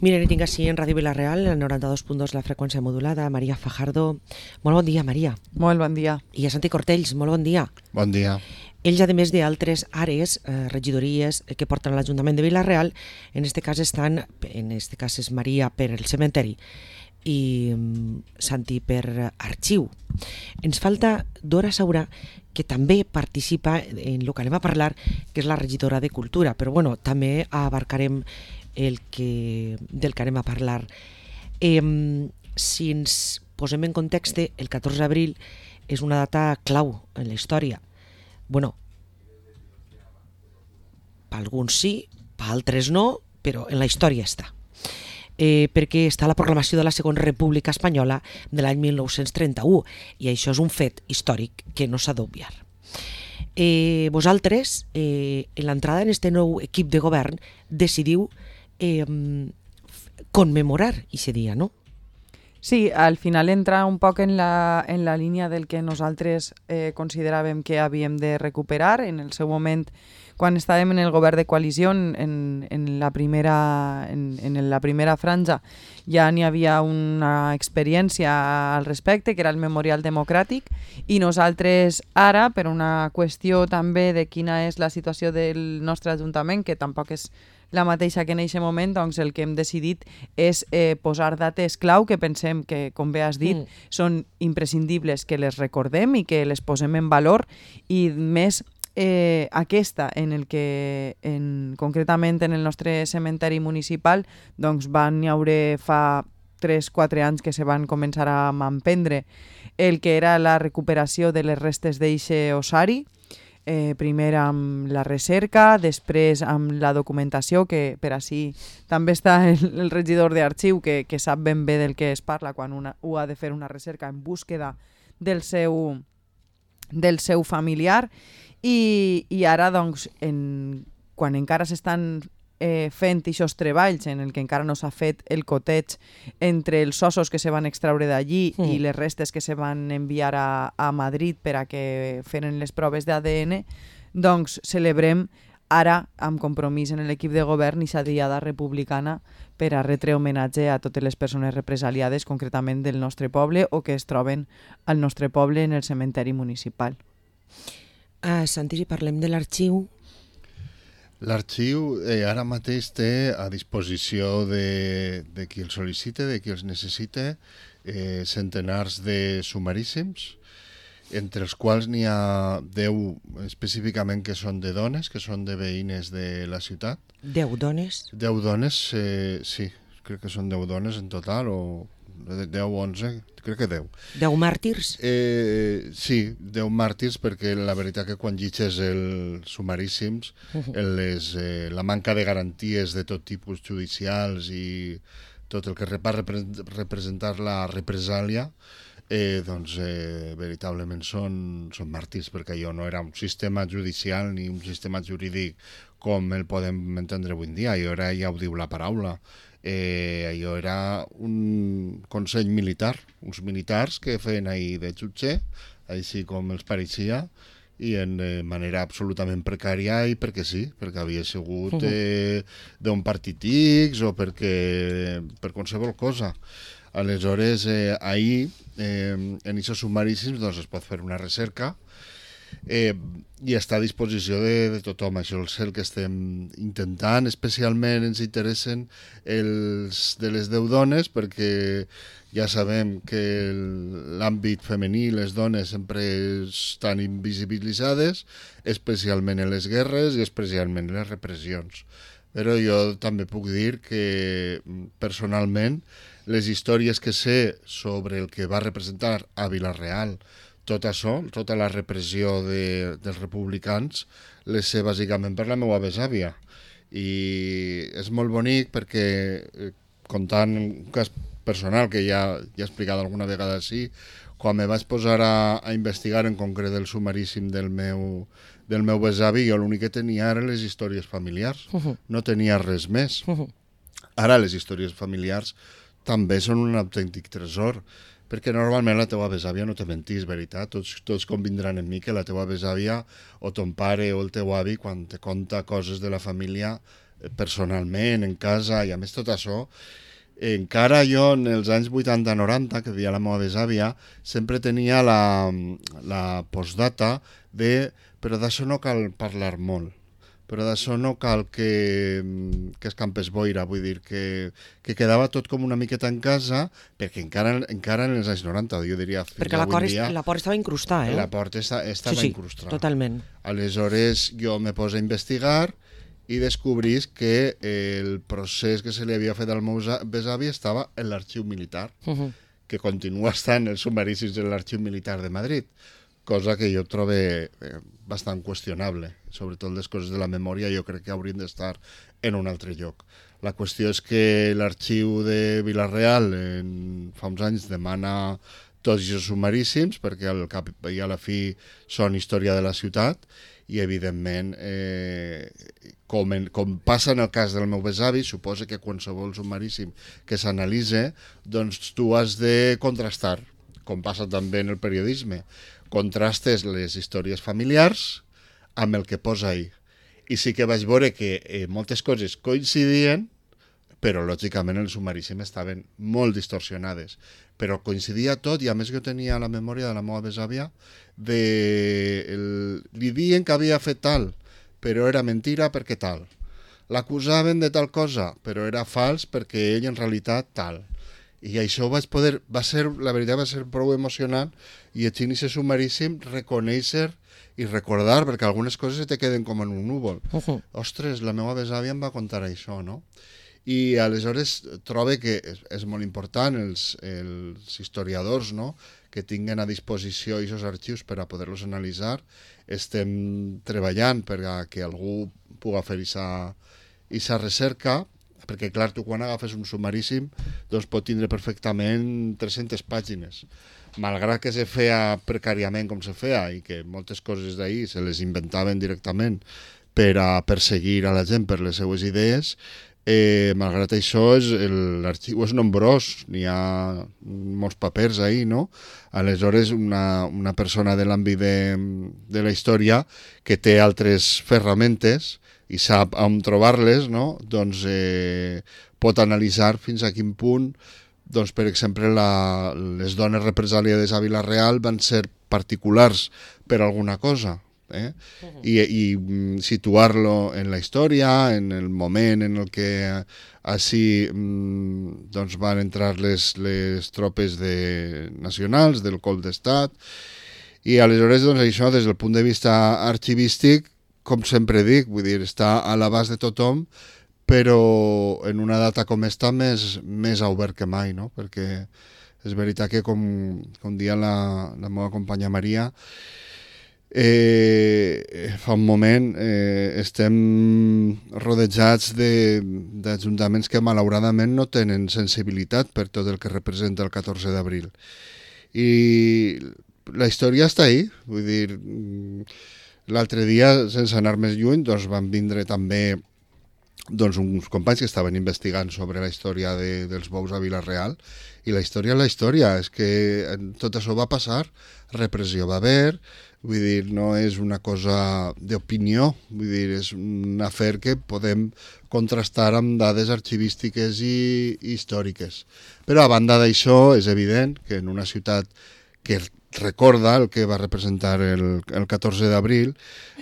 Miren, tinc així en Ràdio Vila-real, el 92.2 la freqüència modulada. Maria Fajardo, molt bon dia, Maria. Molt bon dia. I a Santi Cortells, molt bon dia. Bon dia. Ells, a més d'altres àrees, regidories que porten a l'Ajuntament de Vila-real, en este cas és Maria per el cementeri i Santi per arxiu. Ens falta Dora Saura, que també participa en el que anem a parlar, que és la regidora de Cultura, però bueno, també abarcarem del que anem a parlar. Si ens posem en context, el 14 d'abril és una data clau en la història. Bueno, per alguns sí, per altres no, però en la història està. Perquè està la proclamació de la Segona República Espanyola de l'any 1931, i això és un fet històric que no s'ha d'obviar. Vosaltres, en l'entrada en este nou equip de govern, decidiu conmemorar aquest dia, no? Sí, al final entra un poc en la línia del que nosaltres consideràvem que havíem de recuperar. En el seu moment, quan estàvem en el govern de coalició, en la primera franja, ja n'hi havia una experiència al respecte, que era el Memorial Democràtic, i nosaltres ara, per una qüestió també de quina és la situació del nostre Ajuntament, que tampoc és la mateixa que en aquest moment, doncs el que hem decidit és posar dates clau que pensem que, com bé has dit, són imprescindibles que les recordem i que les posem en valor, i més aquesta en el que concretament en el nostre cementeri municipal doncs van haure fa 3-4 anys que se van començar a emprendre el que era la recuperació de les restes d'eixe ossari. Primer amb la recerca, després amb la documentació, que per així també està el regidor d'arxiu que sap ben bé del que es parla quan ho ha de fer una recerca en búsqueda del seu familiar, i ara doncs quan encara s'estan fent aquests treballs en el que encara no s'ha fet el coteig entre els ossos que se van extraure d'allí i les restes que se van enviar a Madrid per a que feren les proves d'ADN, doncs celebrem ara amb compromís en l'equip de govern aquesta diada republicana per a retre homenatge a totes les persones represaliades, concretament del nostre poble o que es troben al nostre poble en el cementeri municipal. Santi, si parlem de l'arxiu... L'arxiu ara mateix té a disposició de qui el sol·licita, de qui els necessita, centenars de sumaríssims, entre els quals n'hi ha 10 específicament que són de dones, que són de veïnes de la ciutat. 10 dones? 10 dones, sí, crec que són 10 dones en total, o 10 o 11, crec que 10. 10 màrtirs? Sí, 10 màrtirs, perquè la veritat que quan llitges els sumaríssims, la manca de garanties de tot tipus judicials i tot el que va representar la represàlia, doncs veritablement són màrtirs, perquè allò no era un sistema judicial ni un sistema jurídic com el podem entendre avui en dia, allò era, ja ho diu la paraula, allò era un consell militar, uns militars que feien ahir de jutge, així com els pareixia, i en manera absolutament precària, i perquè sí, perquè havia sigut d'un partit X o per qualsevol cosa. Aleshores, ahir, en aquests sumaríssims, doncs es pot fer una recerca i està a disposició de tothom. Això és el que estem intentant. Especialment ens interessen els de les 10 dones, perquè ja sabem que l'àmbit femení, les dones sempre estan invisibilitzades, especialment en les guerres i especialment en les repressions. Però jo també puc dir que personalment les històries que sé sobre el que va representar a Vila-real tot això, tota la repressió dels republicans, les sé bàsicament per la meva besàvia. I és molt bonic perquè, contant un cas personal que ja he explicat alguna vegada així, quan me vaig posar a investigar en concret el sumaríssim del meu besavi, jo l'únic que tenia eren les històries familiars, no tenia res més. Ara les històries familiars també són un autèntic tresor, perquè normalment la teva besàvia no te mentís, veritat? Tots convindran en mi que la teva besàvia o ton pare o el teu avi, quan te conta coses de la família, personalment, en casa, i a més tot això, encara jo en els anys 80-90, que vivia la meva besàvia, sempre tenia la postdata de però d'això no cal parlar molt, però d'això no cal que escampes boira, vull dir que quedava tot com una miqueta en casa, perquè encara en els anys 90, jo diria fins perquè avui dia... la por estava incrustada, La por estava incrustada. Totalment. Aleshores jo me poso a investigar i descobrís que el procés que se li havia fet al meu besavi estava en l'arxiu militar, que continua estant els sumaríssims en l'arxiu militar de Madrid, cosa que jo trobo bastant qüestionable. Sobretot les coses de la memòria jo crec que haurien d'estar en un altre lloc. La qüestió és que l'arxiu de Vila-real fa uns anys demana tots els sumaríssims, perquè al cap i a la fi són història de la ciutat, i evidentment, com passa en el cas del meu besavi, suposa que qualsevol sumaríssim que s'analitza, doncs tu has de contrastar, com passa també en el periodisme. Contrastes les històries familiars amb el que posa ahí. I sí que vaig veure que moltes coses coincidien, però lògicament els sumaríssims estaven molt distorsionades. Però coincidia tot, i a més jo tenia la memòria de la meva besàvia, li diuen que havia fet tal, però era mentira perquè tal. L'acusaven de tal cosa, però era fals perquè ell en realitat tal. I això la veritat va ser prou emocionant, i llegint aquest sumaríssim reconèixer i recordar, perquè algunes coses te queden com en un núvol. Ostres, la meva besàvia em va contar això, no? I aleshores trobo que és molt important els historiadors, no?, que tinguen a disposició aquests arxius per a poder-los analitzar. Estem treballant perquè algú pugui fer aquesta recerca, perquè clar, tu quan agafes un sumaríssim doncs pot tindre perfectament 300 pàgines, malgrat que se feia precàriament com se feia i que moltes coses d'ahir se les inventaven directament per a perseguir a la gent per les seues idees. Malgrat això, l'arxiu és nombrós, n'hi ha molts papers ahí, no? Aleshores, una persona de l'àmbit de la història que té altres ferramentes i sap on trobar-les, no? Doncs pot analitzar fins a quin punt, doncs, per exemple, les dones represaliades a Vila-real van ser particulars per alguna cosa, i situar-lo en la història, en el moment en el que així doncs van entrar les tropes nacionals del cop d'estat, i aleshores doncs, això des del punt de vista arxivístic, com sempre dic, vull dir, està a l'abast de tothom, però en una data com esta més obert que mai, no? Perquè és veritat que com dia la meva companya Maria, fa un moment estem rodejats d'ajuntaments que malauradament no tenen sensibilitat per tot el que representa el 14 d'abril. I la història està ahí, vull dir, l'altre dia, sense anar més lluny, doncs van vindre també uns companys que estaven investigant sobre la història dels bous a Vila-real, i la història és que tot això va passar, repressió va haver, vull dir, no és una cosa d'opinió, vull dir, és un afer que podem contrastar amb dades arxivístiques i històriques. Però a banda d'això, és evident que en una ciutat que recorda el que va representar el 14 d'abril,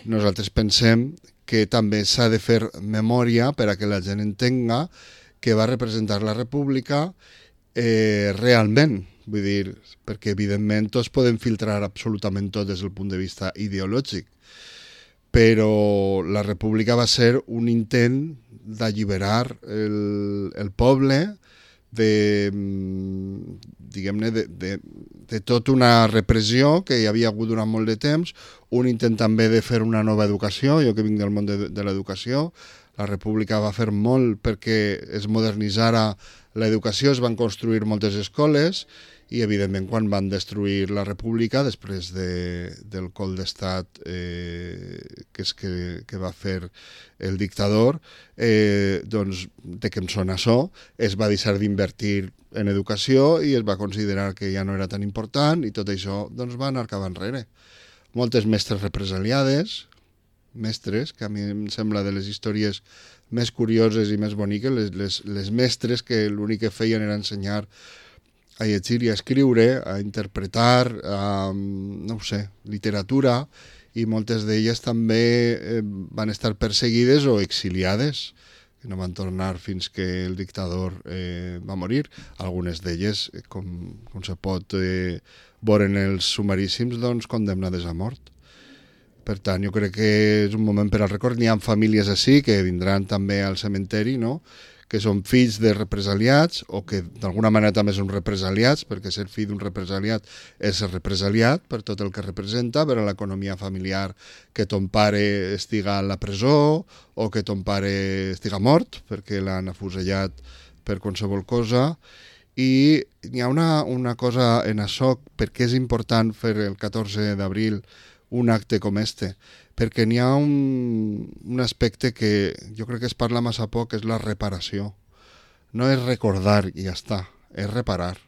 nosaltres pensem que també s'ha de fer memòria per a que la gent entenga que va representar la República realment. Vull dir, perquè evidentment tots podem filtrar absolutament tot des del punt de vista ideològic, però la República va ser un intent d'alliberar el poble diguem-ne, de tota una repressió que hi havia hagut durant molt de temps, un intent també de fer una nova educació. Jo que vinc del món de l'educació, la República va fer molt perquè es modernitzara l'educació, es van construir moltes escoles, i evidentment quan van destruir la República després del cop d'estat que va fer el dictador, doncs de què em sona això, es va deixar d'invertir en educació i es va considerar que ja no era tan important, i tot això doncs va anar cap enrere. Moltes mestres represaliades, mestres, que a mi em sembla de les històries més curioses i més boniques, les mestres que l'únic que feien era ensenyar a llegir i a escriure, a interpretar, a, no ho sé, literatura, i moltes d'elles també van estar perseguides o exiliades, que no van tornar fins que el dictador va morir. Algunes d'elles, com se pot veure en els sumaríssims, doncs, condemnades a mort. Per tant, jo crec que és un moment per al record. N'hi ha famílies així que vindran també al cementeri, no?, que són fills de represaliats o que d'alguna manera també són represaliats, perquè ser fill d'un represaliat és ser represaliat per tot el que representa, per a l'economia familiar, que ton pare estiga a la presó o que ton pare estiga mort perquè l'han afusellat per qualsevol cosa. I hi ha una cosa en això, perquè és important fer el 14 d'abril un acte com este, perquè n'hi ha un aspecte que jo crec que es parla massa poc, és la reparació. No és recordar i ja està, és reparar.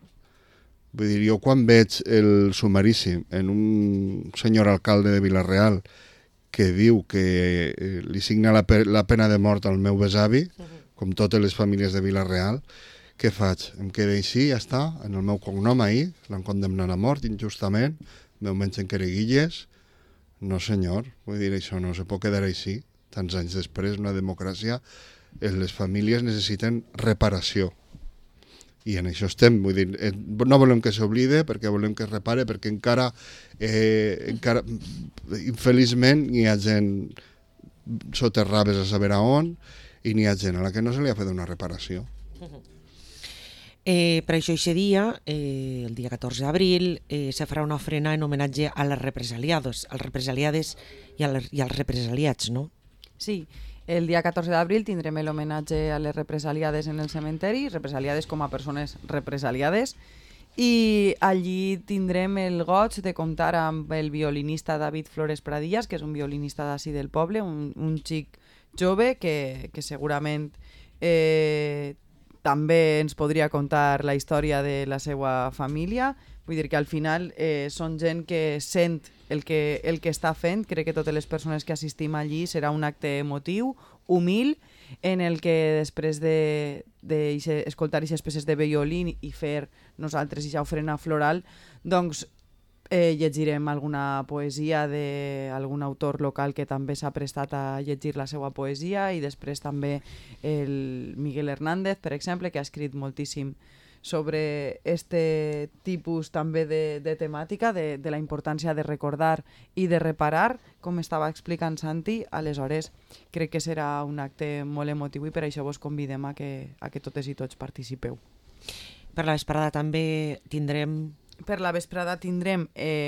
Vull dir, jo quan veig el sumaríssim en un senyor alcalde de Vila-real que diu que li signa la pena de mort al meu besavi, com totes les famílies de Vila-real, què faig? Em quedo així, ja està, en el meu cognom ahir, l'han condemnat a mort injustament, meu mengen quereguilles. No senyor, vull dir, això no se pot quedar així. Tants anys després, una democràcia, les famílies necessiten reparació. I en això estem, vull dir, no volem que s'oblide, perquè volem que es repare, perquè encara infeliçment, hi ha gent soterrades a saber a on, i n'hi ha gent a la que no se li ha fet una reparació. Per això aquest dia, el dia 14 d'abril, se farà una ofrena en homenatge a les represaliades i als represaliats, no? Sí, el dia 14 d'abril tindrem l'homenatge a les represaliades en el cementeri, represaliades com a persones represaliades, i allí tindrem el goig de comptar amb el violinista David Flores Pradillas, que és un violinista d'ací del poble, un xic jove que segurament també ens podria contar la història de la seva família. Vull dir que al final són gent que sent el que està fent. Crec que totes les persones que assistim allí serà un acte emotiu, humil, en el que després d'escoltar aquestes peces de violí i fer nosaltres aquesta ofrena floral, doncs llegirem alguna poesia d'algun autor local que també s'ha prestat a llegir la seva poesia, i després també el Miguel Hernández, per exemple, que ha escrit moltíssim sobre este tipus també de temàtica, de la importància de recordar i de reparar, com estava explicant Santi. Aleshores, crec que serà un acte molt emotiu i per això vos convidem a que totes i tots participeu. Per la vesprada també tindrem... Per la vesprada tindrem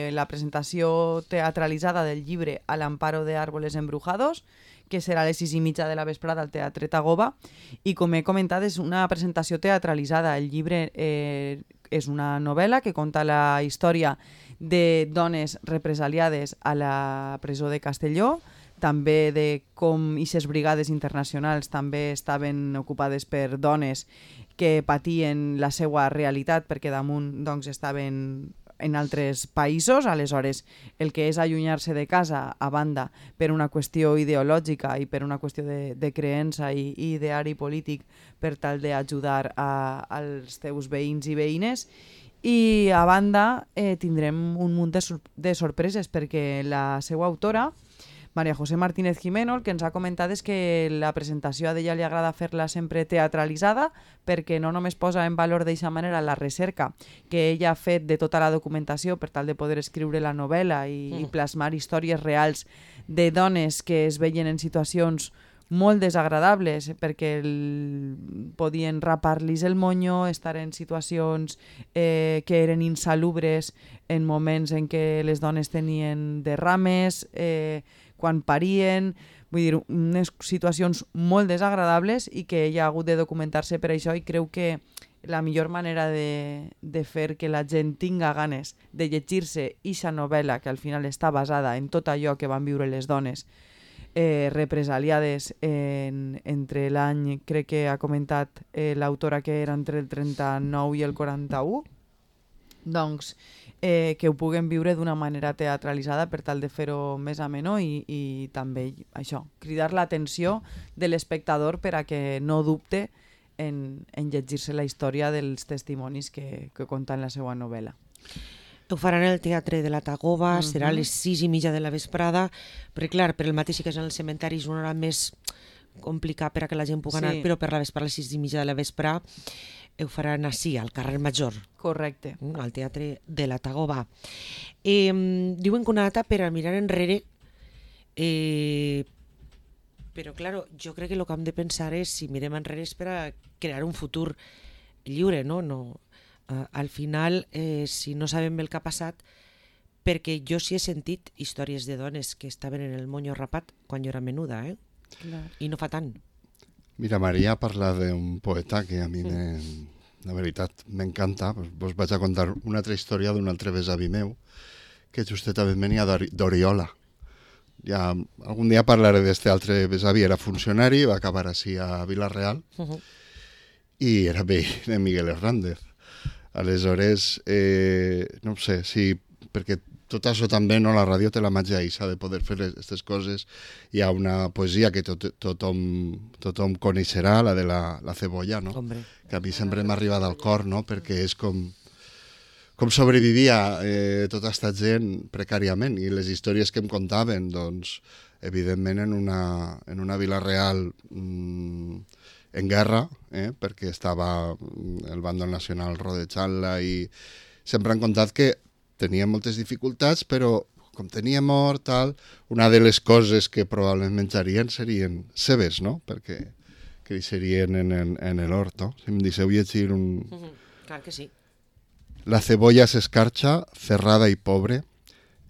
la presentació teatralitzada del llibre Al amparo de árboles embrujados, que serà a les 6:30 de la vesprada al Teatre Tagoba, i com he comentat és una presentació teatralitzada. El llibre és una novel·la que conta la història de dones represaliades a la presó de Castelló, també de com aquestes brigades internacionals també estaven ocupades per dones que patien la seva realitat perquè damunt doncs, estaven en altres països. Aleshores, el que és allunyar-se de casa a banda per una qüestió ideològica i per una qüestió de creença i ideari polític per tal d'ajudar als teus veïns i veïnes. I a banda tindrem un munt de sorpreses perquè la seva autora, María José Martínez Jimeno, el que ens ha comentat és que la presentació a ella li agrada fer-la sempre teatralitzada, perquè no només posa en valor d'aquesta manera la recerca que ella ha fet de tota la documentació per tal de poder escriure la novel·la i plasmar històries reals de dones que es veien en situacions molt desagradables perquè podien rapar-los el monyo, estar en situacions que eren insalubres en moments en què les dones tenien derrames, quan parien, vull dir, unes situacions molt desagradables i que ella ha hagut de documentar-se per això, i creu que la millor manera de fer que la gent tinga ganes de llegir-se aquesta novel·la, que al final està basada en tot allò que van viure les dones represaliades entre l'any, crec que ha comentat l'autora que era entre el 39 i el 41, doncs, que ho puguen viure d'una manera teatralitzada per tal de fer-ho més ameno i també això, cridar l'atenció de l'espectador per a que no dubte en llegir-se la història dels testimonis que conta en la seva novel·la. Ho faran al Teatre de la Tagoba, serà a les 6:30 de la vesprada, perquè clar, per el mateix que és en el cementeri és una hora més complicada per a que la gent pugui anar, però per la vesprada a les 6:30 de la vesprada ho faran així, al carrer Major. Correcte. Al Teatre de la Tagoba. Diuen que una data per a mirar enrere, però claro, jo crec que el que hem de pensar és, si mirem enrere, és per a crear un futur lliure, no? Al final, si no sabem el que ha passat, perquè jo sí he sentit històries de dones que estaven en el monyo rapat quan jo era menuda, Clar. i no fa tant. Mira, Maria parla d'un poeta que a mi, la veritat, m'encanta. Vos vaig a contar una altra història d'un altre besavi meu, que justament venia d'Oriola. Ja algun dia parlaré d'este altre besavi, era funcionari, va acabar així a Vila-real, i era veí de Miguel Hernández. Aleshores, no sé, sí, perquè tot això també, no, la ràdio té la màgia eixa de poder fer aquestes coses. Hi ha una poesia que tothom coneixerà, la de la cebolla, no? Hombre. Que a mi sempre m'ha arribat al cor, no? Perquè és com sobrevivia tota aquesta gent precàriament, i les històries que em contaven, doncs, evidentment en una Vila-real en guerra, perquè estava el bàndol nacional rodejant-la, i sempre han contat que tenia moltes dificultats, però com tenia mort, tal, una de les coses que probablement menjarien serien cebes, no? Perquè creixerien en l'hort, no? Si em deixeu llegir un... Clar que sí. La cebolla es escarcha, cerrada y pobre,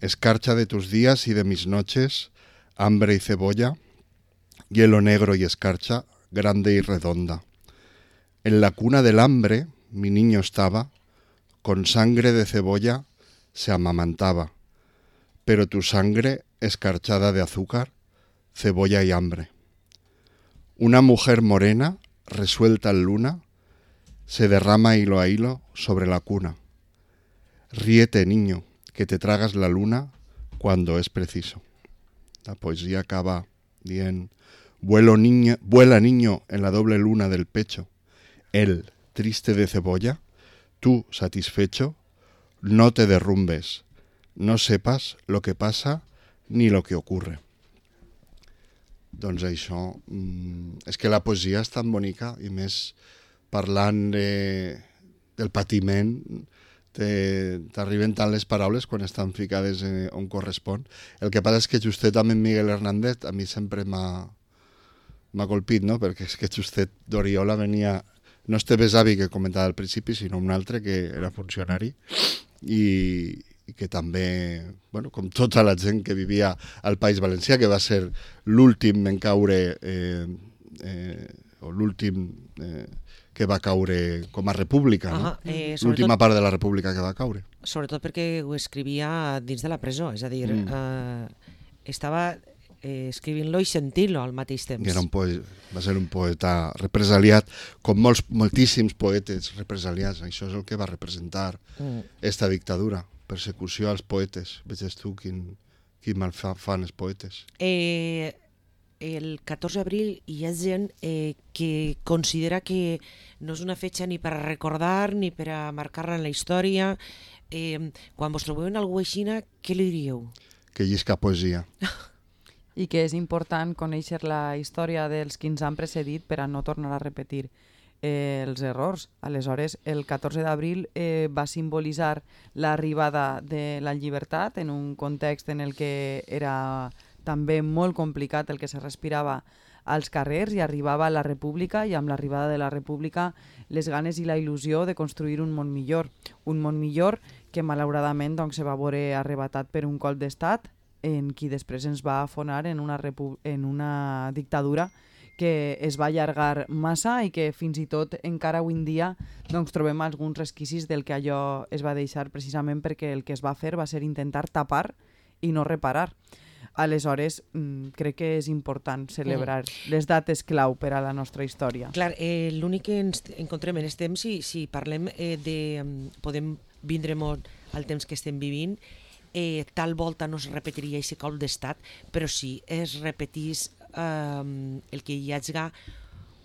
escarcha de tus días y de mis noches, hambre y cebolla, hielo negro y escarcha, grande y redonda. En la cuna del hambre mi niño estaba, con sangre de cebolla se amamantaba, pero tu sangre escarchada de azúcar, cebolla y hambre. Una mujer morena, resuelta en luna, se derrama hilo a hilo sobre la cuna. Ríete, niño, que te tragas la luna cuando es preciso. La poesía acaba bien. Vuela niño en la doble luna del pecho. Él, triste de cebolla, tú, satisfecho, no te derrumbes, no sepas lo que pasa ni lo que ocurre. Doncs això, és que la poesia és tan bonica, i més parlant del patiment, t'arriben tant les paraules quan estan ficades on correspon. El que passa és que justet amb en Miguel Hernández a mi sempre m'ha colpit, no? Perquè és que justet d'Oriola venia, no este besavi que comentava al principi, sinó un altre que era funcionari, i que també, bueno, com tota la gent que vivia al País Valencià, que va ser l'últim en caure, o l'últim que va caure com a república, no? L'última part de la república que va caure. Sobretot perquè ho escrivia dins de la presó, és a dir, estava escrivint-lo i sentint-lo al mateix temps. Va ser un poeta represaliat, com moltíssims poetes represaliats. Això és el que va representar esta dictadura, persecució als poetes. Veges tu quin mal fan els poetes. El 14 d'abril hi ha gent que considera que no és una fetge ni per a recordar ni per a marcar-la en la història. Quan vos trobeu en algú així, què li diríeu? Que llisca poesia. I que és important conèixer la història dels qui ens han precedit per a no tornar a repetir els errors. Aleshores, el 14 d'abril va simbolitzar l'arribada de la llibertat en un context en el que era també molt complicat el que se respirava als carrers, i arribava la república, i amb l'arribada de la república les ganes i la il·lusió de construir un món millor que malauradament doncs, se va veure arrebatat per un colp d'estat en qui després ens va afonar en una dictadura que es va allargar massa i que fins i tot encara avui en dia doncs, trobem alguns resquicis del que allò es va deixar, precisament perquè el que es va fer va ser intentar tapar i no reparar. Aleshores, crec que és important celebrar les dates clau per a la nostra història. Clar, l'únic que ens encontrem en aquest temps, si parlem podem vindre molt al temps que estem vivint, tal volta no es repetiria aquest cop d'estat, però sí es repetís el que hi hagi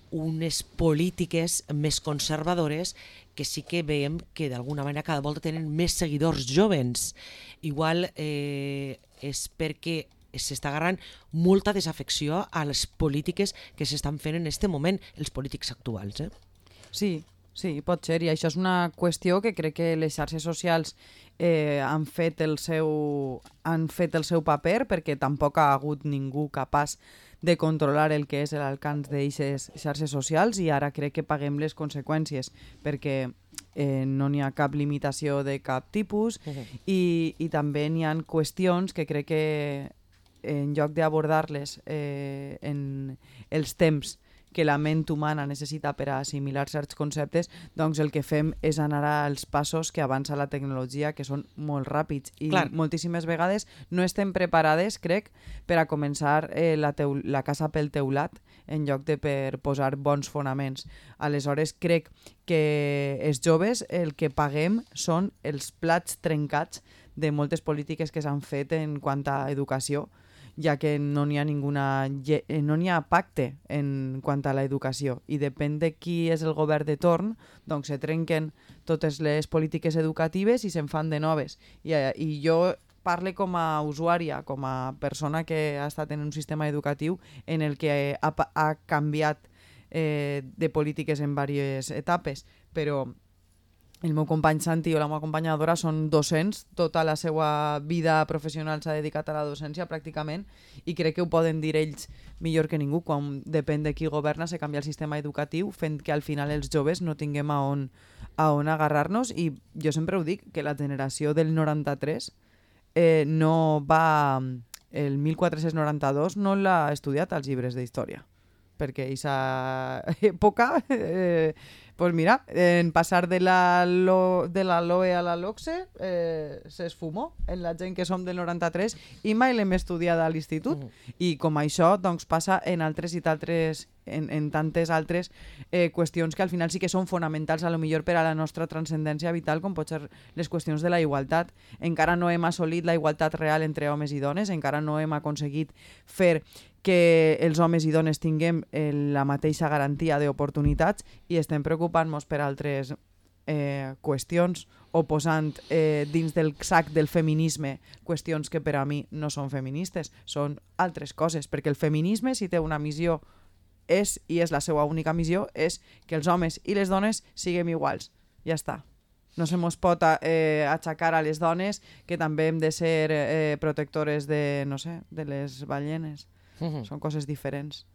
unes polítiques més conservadores que sí que veiem que d'alguna manera cada volta tenen més seguidors joves. Igual és perquè s'està agarrant molta desafecció a les polítiques que s'estan fent en aquest moment, els polítics actuals. Sí, pot ser, i això és una qüestió que crec que les xarxes socials han fet el seu paper, perquè tampoc ha hagut ningú capaç de controlar el que és l'alcance d'aquestes xarxes socials, i ara crec que paguem les conseqüències, perquè no n'hi ha cap limitació de cap tipus, i també n'hi ha qüestions que crec que en lloc d'abordar-les en els temps que la ment humana necessita per a assimilar certs conceptes, doncs el que fem és anar als passos que avança la tecnologia, que són molt ràpids, i moltíssimes vegades no estem preparades, crec, per a començar la casa pel teulat en lloc de per posar bons fonaments. Aleshores, crec que els joves el que paguem són els plats trencats de moltes polítiques que s'han fet en quant a educació, ja que no n'hi ha pacte en quant a l'educació, i depèn de qui és el govern de torn, doncs se trenquen totes les polítiques educatives i se'n fan de noves. I jo parle com a usuària, com a persona que ha estat en un sistema educatiu en el que ha canviat de polítiques en diverses etapes, però el meu company Santi o la meva companya Dora són docents, tota la seva vida professional s'ha dedicat a la docència pràcticament, i crec que ho poden dir ells millor que ningú. Quan depèn de qui governa se canvia el sistema educatiu, fent que al final els joves no tinguem a on agarrar-nos. I jo sempre ho dic, que la generació del 93 no va... el 1492 no l'ha estudiat als llibres d'història, perquè aquesta època... Pues mira, en passar de la LOE a la LOCSE s'esfumó en la gent que som del 93 i mai l'hem estudiat a l'institut. I com això doncs, passa en altres i d'altres, en tantes altres qüestions que al final sí que són fonamentals a lo millor per a la nostra transcendència vital, com pot ser les qüestions de la igualtat. Encara no hem assolit la igualtat real entre homes i dones, encara no hem aconseguit fer que els homes i dones tinguem la mateixa garantia d'oportunitats, i estem preocupant-nos per altres qüestions, o posant dins del sac del feminisme qüestions que per a mi no són feministes, són altres coses, perquè el feminisme, si té una missió, i és la seva única missió, és que els homes i les dones siguem iguals. Ja està. No se mos pot aixecar a les dones que també hem de ser protectores de, no sé, de les ballenes. Són coses diferents.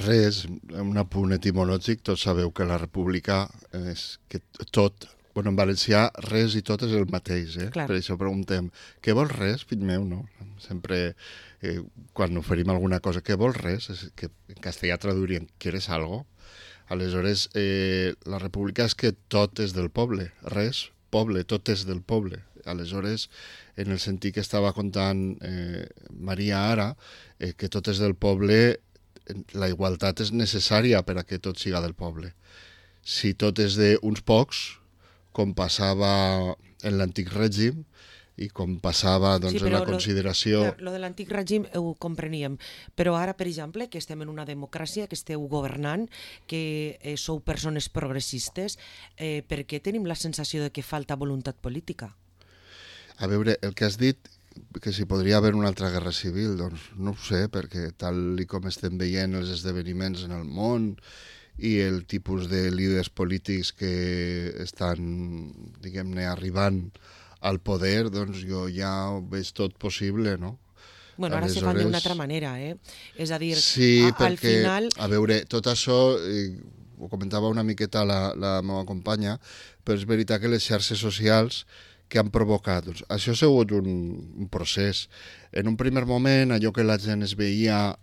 Res, un apunt etimològic, tots sabeu que la república és que tot, bueno, en valencià res i tot és el mateix, per això preguntem, què vols res, fill meu, no? Sempre, quan oferim alguna cosa, què vols res, és que en castellà traduirien, ¿quieres algo? Aleshores, la república és que tot és del poble, res, poble, tot és del poble. Aleshores, en el sentit que estava contant Maria ara, que tot és del poble, la igualtat és necessària per a que tot siga del poble. Si tot és d'uns pocs, com passava en l'antic règim, i com passava doncs, en la consideració... Lo de l'antic règim ho compreníem, però ara, per exemple, que estem en una democràcia, que esteu governant, que sou persones progressistes, per què tenim la sensació de que falta voluntat política? A veure, el que has dit, que si podria haver una altra guerra civil, doncs no ho sé, perquè tal com estem veient els esdeveniments en el món i el tipus de líders polítics que estan, diguem-ne, arribant al poder, doncs jo ja ho veig tot possible, no? Bueno, ara se fan d'una altra manera, És a dir, sí, al final... a veure, tot això, ho comentava una miqueta la meva companya, però és veritat que les xarxes socials que han provocat, doncs, això ha sigut un procés. En un primer moment, allò que la gent es veia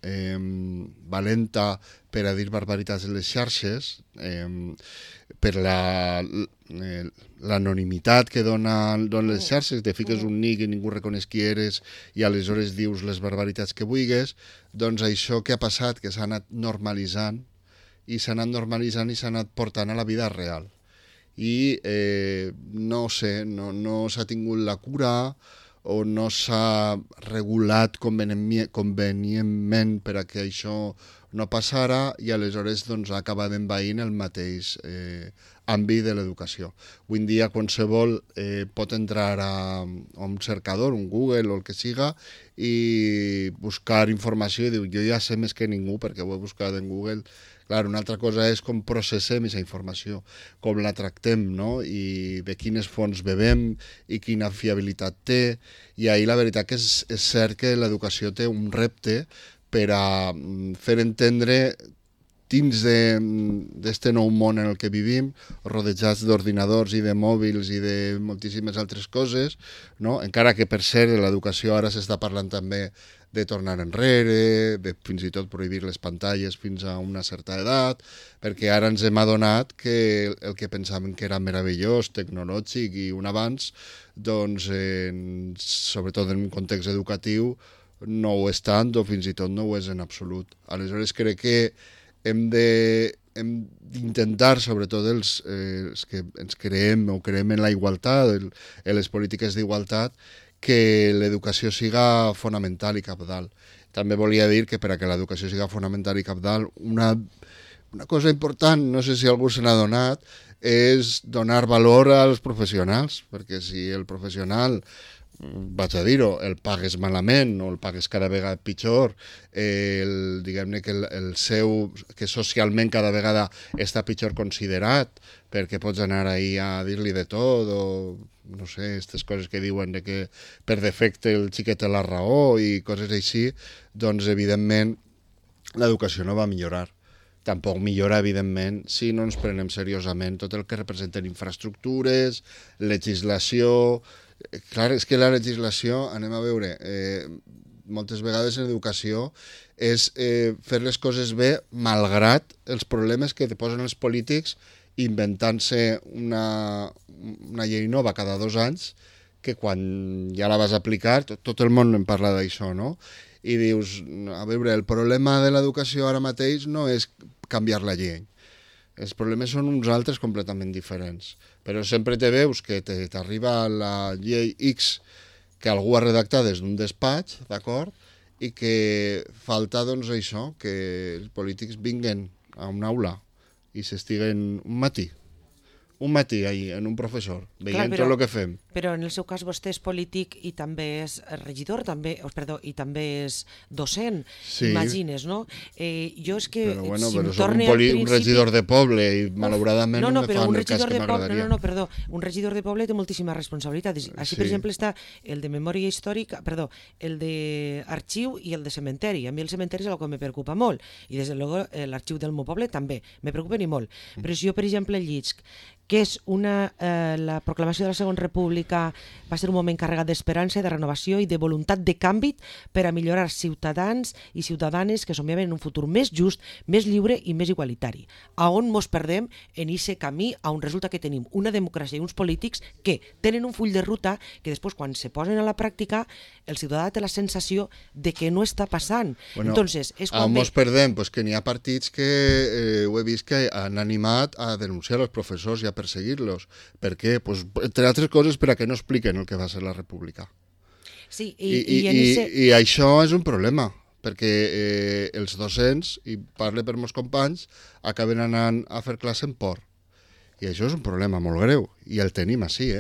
valenta per a dir barbaritats en les xarxes, per l'anonimitat que donen les xarxes, te fiques un nick i ningú reconeix qui eres i aleshores dius les barbaritats que vulguis, doncs això que ha passat, que s'ha anat normalitzant i s'ha anat portant a la vida real. i no sé, no s'ha tingut la cura o no s'ha regulat convenientment per a que això no passara i aleshores doncs, ha acabat envaint el mateix àmbit de l'educació. Avui en dia qualsevol pot entrar a un cercador, un Google o el que siga i buscar informació i diu jo ja sé més que ningú perquè ho he buscat en Google. Clar, una altra cosa és com processem aquesta informació, com la tractem, no? I de quines fonts bevem i quina fiabilitat té. I ahir la veritat que és cert que l'educació té un repte per a fer entendre dins d'aquest nou món en el que vivim, rodejats d'ordinadors i de mòbils i de moltíssimes altres coses, no? Encara que per cert l'educació ara s'està parlant també de tornar enrere, de fins i tot prohibir les pantalles fins a una certa edat, perquè ara ens hem adonat que el que pensàvem que era meravellós, tecnològic i un avanç, doncs, sobretot en un context educatiu, no ho és tant o fins i tot no ho és en absolut. Aleshores crec que hem d'intentar, sobretot els que ens creem o creem en la igualtat, en les polítiques d'igualtat, que l'educació siga fonamental i cabdal. També volia dir que per a que l'educació siga fonamental i cabdal, una cosa important, no sé si algú se n'ha donat, és donar valor als professionals, perquè si el professional, vaig a dir-ho, el pagues malament o el pagues cada vegada pitjor, diguem-ne que el seu, que socialment cada vegada està pitjor considerat, perquè pots anar ahí a dir-li de tot o no sé, aquestes coses que diuen de que per defecte el xiquet té la raó i coses així, doncs evidentment l'educació no va millorar. Tampoc millora, evidentment, si no ens prenem seriosament tot el que representen infraestructures, legislació. Clar, és que la legislació, anem a veure, moltes vegades en educació és fer les coses bé malgrat els problemes que te posen els polítics inventant-se una llei nova cada 2 anys que quan ja la vas aplicar, tot el món en parla d'això, no? I dius, a veure, el problema de l'educació ara mateix no és canviar la llei. Els problemes són uns altres completament diferents. Però sempre te veus que t'arriba la llei X que algú ha redactat des d'un despatx, d'acord? I que falta, doncs, això, que els polítics vinguen a una aula i s'estiguen un matí ahí, en un professor, veient tot el que fem. Però en el seu cas vostè és polític i també és regidor, i també és docent, sí. Imagines, no? Jo és que... Però bueno, si però soc un regidor de poble i malauradament no me fan el cas que m'agradaria. Un regidor de poble té moltíssima responsabilitat. Així, per exemple, està el de memòria històrica, el d'arxiu i el de cementeri. A mi el cementeri és el que me preocupa molt, i des de luego l'arxiu del meu poble també, me preocupa ni molt. Però si jo, per exemple, llisc que és la proclamació de la Segona República va ser un moment carregat d'esperança, de renovació i de voluntat de canvi per a millorar ciutadans i ciutadanes que somiaven en un futur més just, més lliure i més igualitari. A on mos perdem en aquest camí on resulta que tenim una democràcia i uns polítics que tenen un full de ruta que després quan se posen a la pràctica el ciutadà té la sensació de que no està passant. Bueno, entonces, és quan mos perdem? Pues que n'hi ha partits que ho he vist que han animat a denunciar els professors i a perseguir-los. Per què? Pues, entre altres coses per a que no expliquen el que va ser la república. Sí, I això és un problema, perquè els docents, i parle per molts companys, acaben anant a fer classe en por. I això és un problema molt greu, i el tenim així,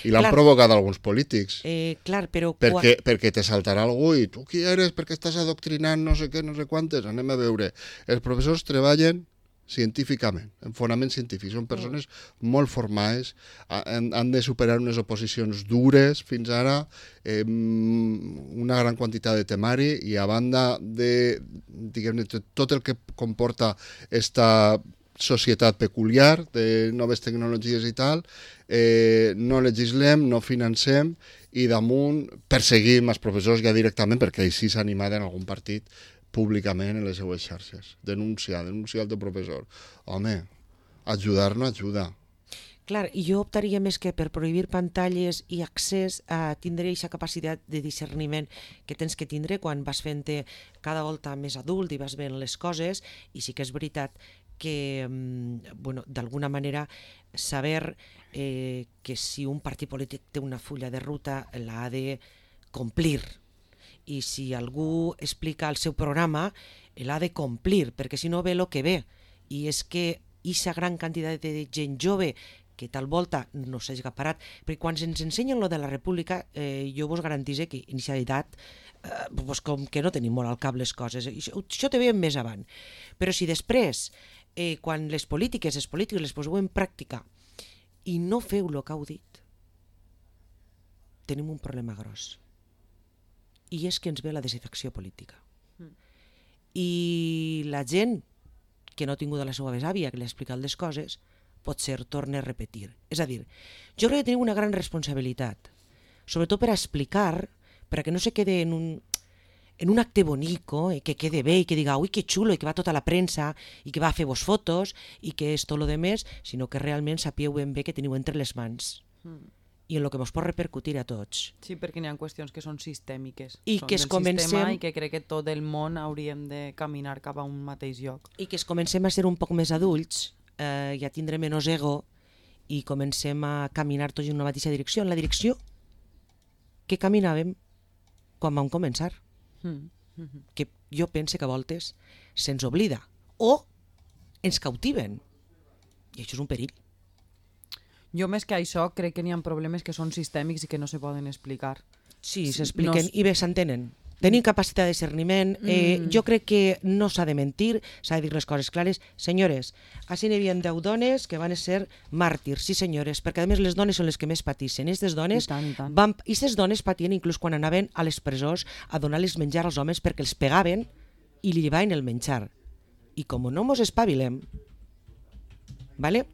I l'han provocat alguns polítics. Clar, però... Perquè te saltarà algú i tu qui eres, perquè estàs adoctrinant no sé què, no sé quantes, anem a veure. Els professors treballen científicament, en fonament científic. Són persones molt formades, han de superar unes oposicions dures fins ara, una gran quantitat de temari i a banda de, diguem-ne, tot el que comporta esta societat peculiar de noves tecnologies i tal, no legislem, no financem i damunt perseguim els professors ja directament perquè així s'ha animat en algun partit públicament en les seues xarxes. Denunciar el teu professor. Home, ajudar no ajuda. Clar, i jo optaria més que per prohibir pantalles i accés a tindre aquesta capacitat de discerniment que tens que tindre quan vas fent-te cada volta més adult i vas veient les coses, i sí que és veritat que, bueno, d'alguna manera, saber que si un partit polític té una fulla de ruta l'ha de complir, i si algú explica el seu programa l'ha de complir, perquè si no ve el que ve, i és que aquesta gran quantitat de gent jove que tal volta no s'hagi parat, perquè quan ens ensenyen lo de la república, jo vos garantisse que inicialitat, pues com que no tenim molt al cap les coses, això te veiem més avant, però si després, quan els polítics les poseu en pràctica i no feu el que heu dit, tenim un problema gros, i és que ens ve la desafecció política. I la gent que no ha tingut la seva besàvia, que li ha explicat les coses, potser torna a repetir. És a dir, jo crec que tenim una gran responsabilitat, sobretot per explicar, perquè no se quede en un acte bonico, que quede bé i que diga, ui, que xulo, i que va tota la premsa, i que va a fer-vos fotos, i que és tot lo demés, sinó que realment sapieu ben bé que teniu entre les mans. I en el que ens pot repercutir a tots. Sí, perquè n'hi ha qüestions que són sistèmiques. I són que del sistema i que crec que tot el món hauríem de caminar cap a un mateix lloc. I que comencem a ser un poc més adults, i a tindre menys ego, i comencem a caminar tots en una mateixa direcció, en la direcció que caminàvem quan vam començar. Que jo pense que a voltes se'ns oblida o ens cautiven, i això és un perill. Jo més que això crec que n'hi ha problemes que són sistèmics i que no se poden explicar. Sí, s'expliquen i bé s'entenen. Tenim capacitat de discerniment, jo crec que no s'ha de mentir, s'ha de dir les coses clares. Senyores, així n'hi havia 10 dones que van ser màrtirs, sí senyores, perquè a més les dones són les que més patissin. Aquestes dones patien inclús quan anaven a les presons a donar-les menjar als homes perquè els pegaven i li llevaven el menjar. I com no mos espavilem, vale?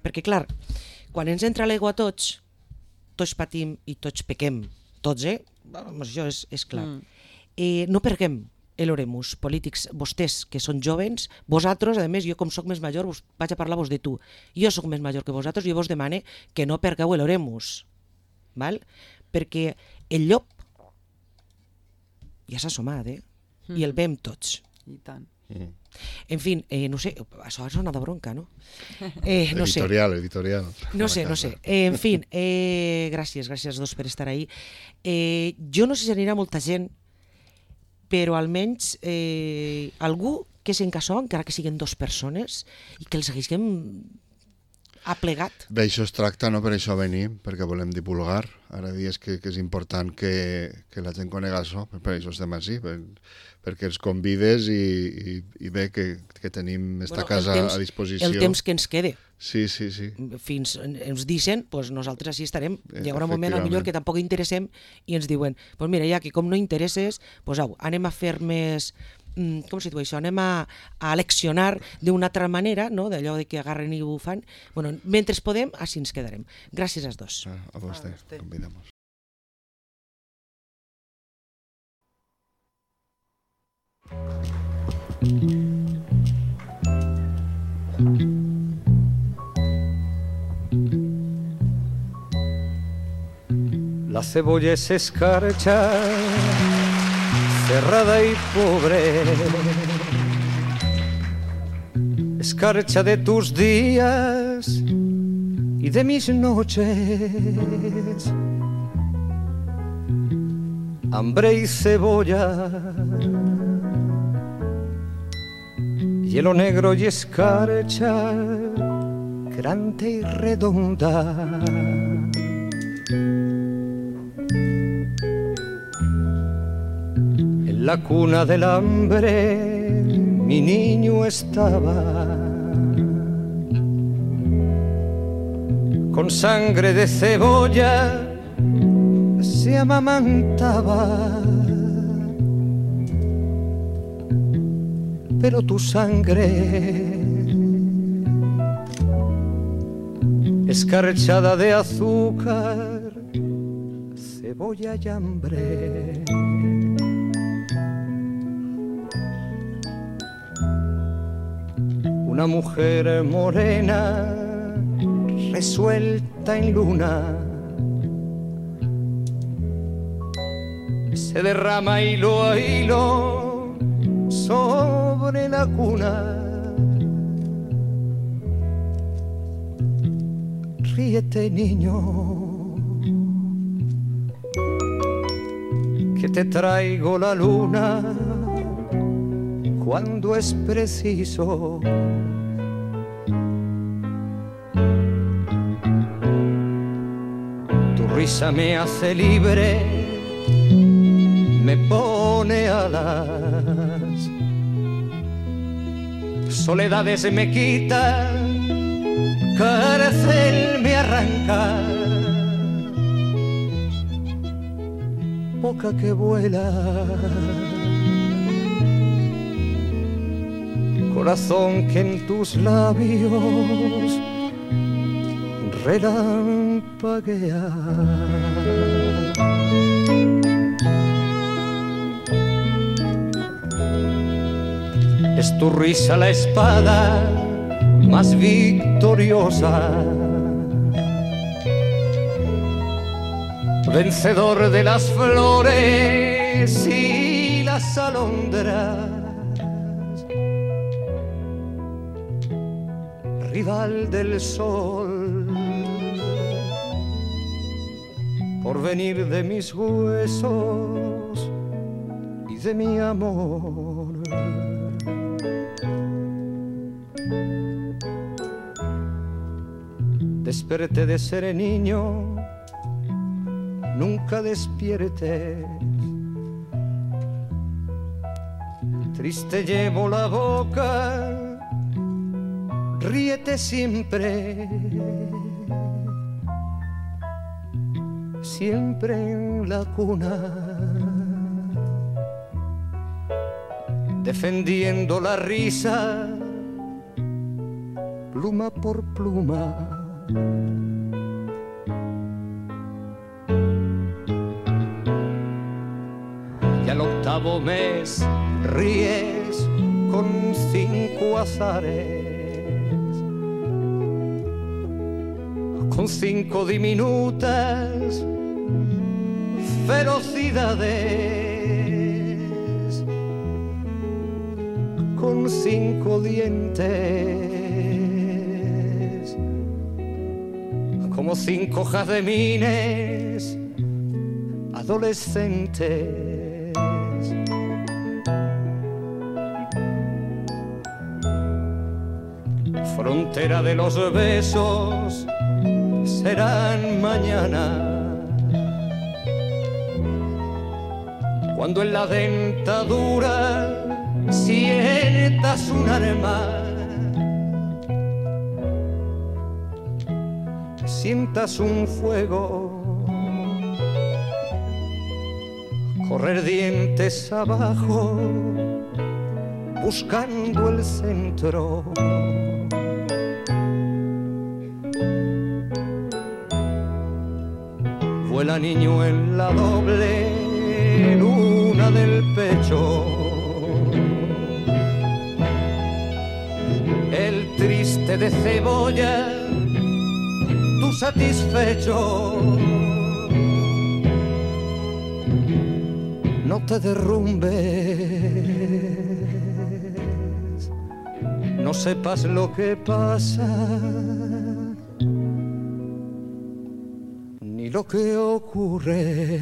Perquè clar, quan ens entra l'aigua a tots patim i tots pequem, tots, això és clar. No perguem l'oremus, polítics, vostès que són jovens, vosaltres, a més, jo com soc més major, vaig a parlar-vos de tu, jo soc més major que vosaltres, jo vos demane que no pergueu l'oremus, perquè el llop ja s'ha assomat, i el vem tots. I tant. En fi, no sé, això sona de bronca, no? No sé. Editorial. No sé. En fi, gràcies a dos per estar ahí. Jo no sé si anirà molta gent, però almenys algú que s'encassó, encara que siguin 2 persones, i que els haguéssim aplegat. D'això es tracta, no? Per això venim, perquè volem divulgar. Ara dies que és important que la gent conega això, per això estem així, perquè ens convides i bé que tenim esta casa a disposició. El temps que ens quede. Sí. Fins ens dicen, doncs nosaltres així estarem. Hi haurà un moment millor que tampoc interessem i ens diuen, doncs mira, ja que com no interesses, doncs au, anem a fer més... com se diu això? Anem a leccionar d'una altra manera, no? D'allò de que agarren i ho fan. Bueno, mentre podem, així ens quedarem. Gràcies als dos. A vostè, convidamos. La cebolla es escarcha, cerrada y pobre, escarcha de tus días y de mis noches. Hambre y cebolla, hielo negro y escarcha, grande y redonda. En la cuna del hambre mi niño estaba, con sangre de cebolla se amamantaba, pero tu sangre, escarchada de azúcar, cebolla y hambre. Una mujer morena, resuelta en luna, se derrama hilo a hilo sobre la cuna. ríete, niño, que te traigo la luna cuando es preciso. Tu risa me hace libre, me pone alas, soledades me quita, cárcel me arranca, boca que vuela, corazón que en tus labios relampaguea. Es tu risa la espada más victoriosa, vencedor de las flores y las alondras, rival del sol, porvenir de mis huesos y de mi amor. Desperté de ser niño, nunca despiertes. Triste llevo la boca, ríete siempre, siempre en la cuna, defendiendo la risa, pluma por pluma. Y al octavo mes ríes con 5 azares, con 5 diminutas ferocidades, con 5 dientes, como 5 jazmines adolescentes. Frontera de los besos serán mañana, cuando en la dentadura sientas un arma, sientas un fuego, correr dientes abajo, buscando el centro. Vuela niño en la doble luna del pecho, el triste de cebolla, tú satisfecho. No te derrumbes, no sepas lo que pasa, ni lo que ocurre.